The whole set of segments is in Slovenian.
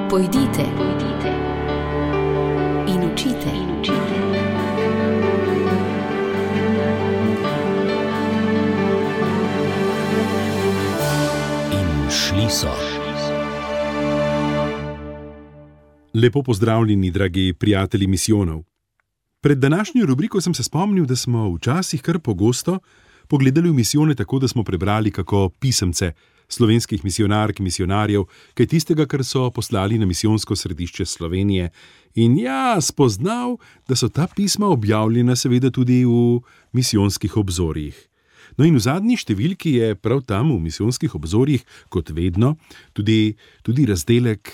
Pojdite in učite. In šli so. Lepo pozdravljeni, dragi prijatelji misijonov. Pred današnjo rubriko sem se spomnil, da smo včasih kar pogosto pogledali v misijone tako, da smo prebrali kako pisemce slovenskih misijonark, misijonarjev, kaj tistega, kar so poslali na misijonsko središče Slovenije. In spoznal, da so ta pisma objavljena seveda tudi v misijonskih obzorjih. No in v zadnji številki je prav tam v misijonskih obzorjih, kot vedno, tudi razdelek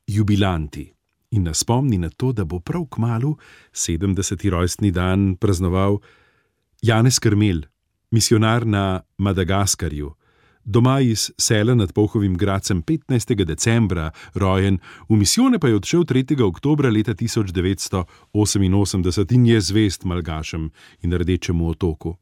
Jubilanti. In nas spomni na to, da bo prav kmalu 70. rojstni dan praznoval Janez Krmelj, misijonar na Madagaskarju, doma iz sela nad Polhovim Gradcem 15. decembra rojen, v misijone pa je odšel 3. oktobra leta 1988 in je zvest Malgašem in Rdečemu otoku.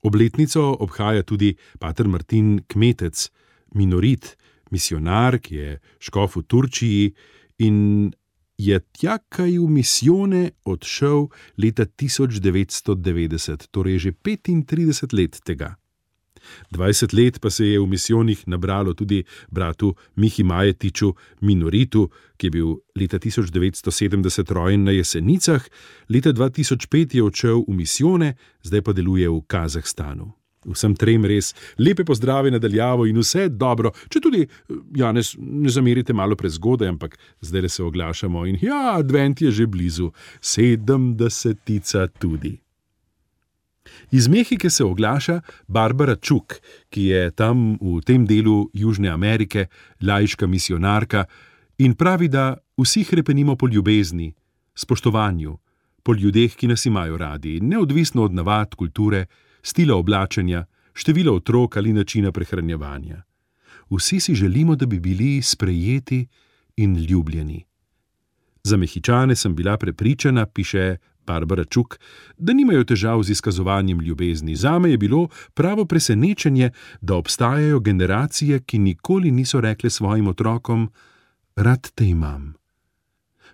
Obletnico obhaja tudi pater Martin Kmetec, minorit, misijonar, ki je škof v Turčiji in je tja kaj v misijone odšel leta 1990, torej že 35 let tega. 20 let pa se je v misijonih nabralo tudi bratu Mihi Majetiču, minoritu, ki je bil leta 1970 rojen na Jesenicah, leta 2005 je odšel v misijone, zdaj pa deluje v Kazahstanu. Vsem trem res lepe pozdrave nadaljavo in vse dobro, če tudi, Janez, ne zamerite malo prezgodaj, ampak zdaj se oglašamo in advent je že blizu, 70. tudi. Iz Mehike se oglaša Barbara Čuk, ki je tam v tem delu Južne Amerike laiška misijonarka in pravi, da vsi hrepenimo po ljubezni, spoštovanju, po ljudeh, ki nas imajo radi, neodvisno od navad, kulture, stila oblačenja, števila otrok ali načina prehranjevanja. Vsi si želimo, da bi bili sprejeti in ljubljeni. Za Mehičane sem bila prepričana, piše Barbara Čuk, da nimajo težav z izkazovanjem ljubezni. Zame je bilo pravo presenečenje, da obstajajo generacije, ki nikoli niso rekle svojim otrokom: rad te imam.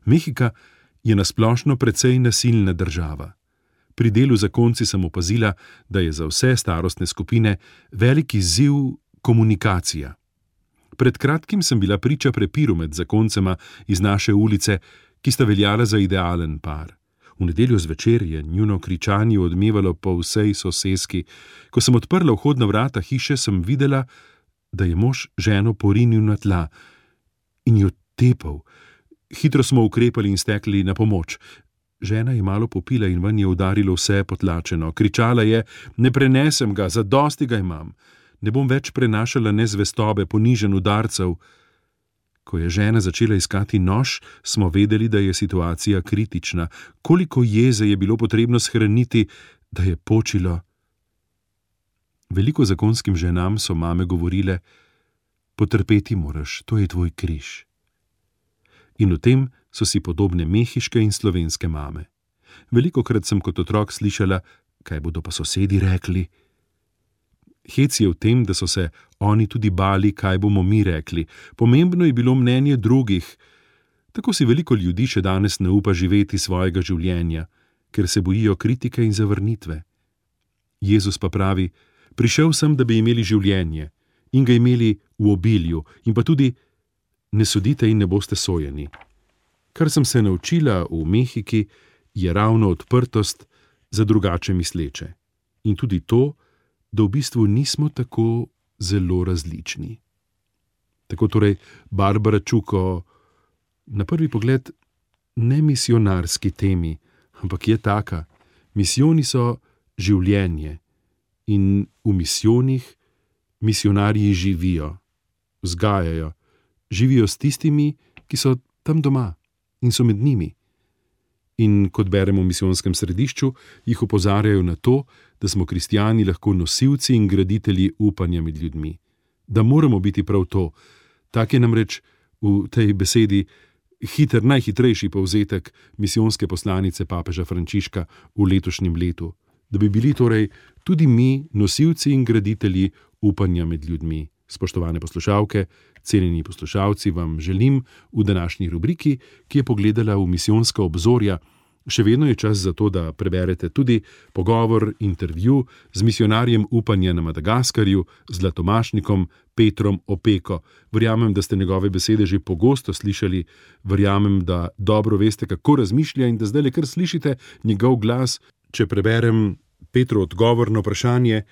Mehika je nasplošno precej nasilna država. Pri delu z zakonci sem opazila, da je za vse starostne skupine velik izziv komunikacija. Pred kratkim sem bila priča prepiru med zakoncema iz naše ulice, ki sta veljala za idealen par. V nedeljo zvečer je njuno kričanje odmevalo po vsej soseski. Ko sem odprla vhodna vrata hiše, sem videla, da je mož ženo porinil na tla in jo tepal. Hitro smo ukrepali in stekli na pomoč. Žena je malo popila in ven je udarilo vse potlačeno. Kričala je: ne prenesem ga, zadosti ga imam. Ne bom več prenašala nezvestobe, ponižen udarcev. Ko je žena začela iskati nož, smo vedeli, da je situacija kritična. Koliko jeze je bilo potrebno shraniti, da je počilo. Veliko zakonskim ženam so mame govorile: potrpeti moraš, to je tvoj križ. In v tem so si podobne mehiške in slovenske mame. Velikokrat sem kot otrok slišala: kaj bodo pa sosedi rekli? Hec je v tem, da so se oni tudi bali, kaj bomo mi rekli. Pomembno je bilo mnenje drugih. Tako si veliko ljudi še danes ne upa živeti svojega življenja, ker se bojijo kritike in zavrnitve. Jezus pa pravi: prišel sem, da bi imeli življenje in ga imeli v obilju, in pa tudi: ne sodite in ne boste sojeni. Kar sem se naučila v Mehiki, je ravno odprtost za drugače misleče. In tudi to, da v bistvu nismo tako zelo različni. Tako torej Barbara Čuk o na prvi pogled ne misijonarski temi, ampak je taka. Misijoni so življenje in v misijonih misijonarji živijo, vzgajajo, živijo s tistimi, ki so tam doma in so med njimi. In kot beremo v misijonskem središču, jih opozarjajo na to, da smo kristjani lahko nosilci in graditelji upanja med ljudmi. Da moramo biti prav to. Tak je namreč v tej besedi najhitrejši povzetek misijonske poslanice papeža Frančiška v letošnjem letu. Da bi bili torej tudi mi nosilci in graditelji upanja med ljudmi. Spoštovane poslušalke, cenjeni poslušalci, vam želim v današnji rubriki, ki je pogledala v misijonska obzorja. Še vedno je čas za to, da preberete tudi pogovor, intervju z misionarjem upanja na Madagaskarju, zlatomašnikom Petrom Opeko. Verjamem, da ste njegove besede že pogosto slišali, verjamem, da dobro veste, kako razmišlja in da zdaj le kar slišite njegov glas. Če preberem Petro odgovor na vprašanje,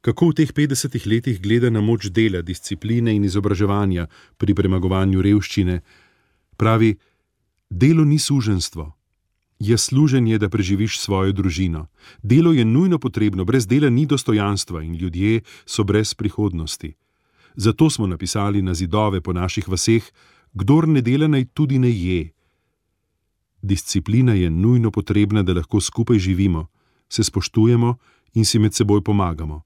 kako v teh 50 letih gleda na moč dela, discipline in izobraževanja pri premagovanju revščine. Pravi, delo ni suženjstvo. Je služenje, da preživiš svojo družino. Delo je nujno potrebno, brez dela ni dostojanstva in ljudje so brez prihodnosti. Zato smo napisali na zidove po naših vaseh, kdor ne dela, naj tudi ne je. Disciplina je nujno potrebna, da lahko skupaj živimo, se spoštujemo in si med seboj pomagamo.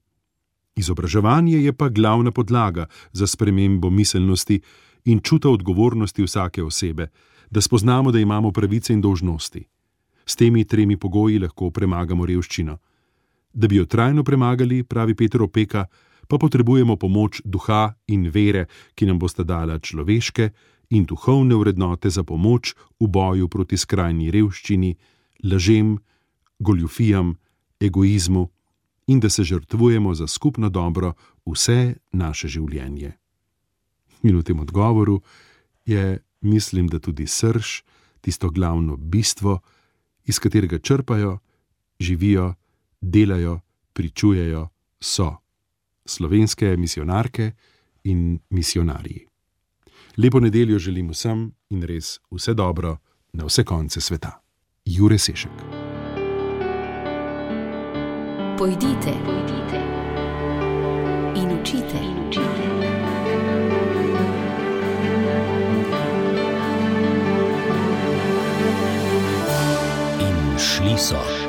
Izobraževanje je pa glavna podlaga za spremembo miselnosti in čuta odgovornosti vsake osebe, da spoznamo, da imamo pravice in dolžnosti. S temi 3 pogoji lahko premagamo revščino. Da bi jo trajno premagali, pravi Peter Opeka, pa potrebujemo pomoč duha in vere, ki nam bosta dala človeške in duhovne vrednote za pomoč v boju proti skrajni revščini, lažem, goljufijam, egoizmu in da se žrtvujemo za skupno dobro vse naše življenje. In v tem odgovoru je, mislim, da tudi srž, tisto glavno bistvo, iz katerega črpajo, živijo, delajo, pričujejo, so slovenske misionarke in misionarji. Lepo nedeljo želim vsem in res vse dobro na vse konce sveta. Jure Sešek. Pojdite in učite. Šli so.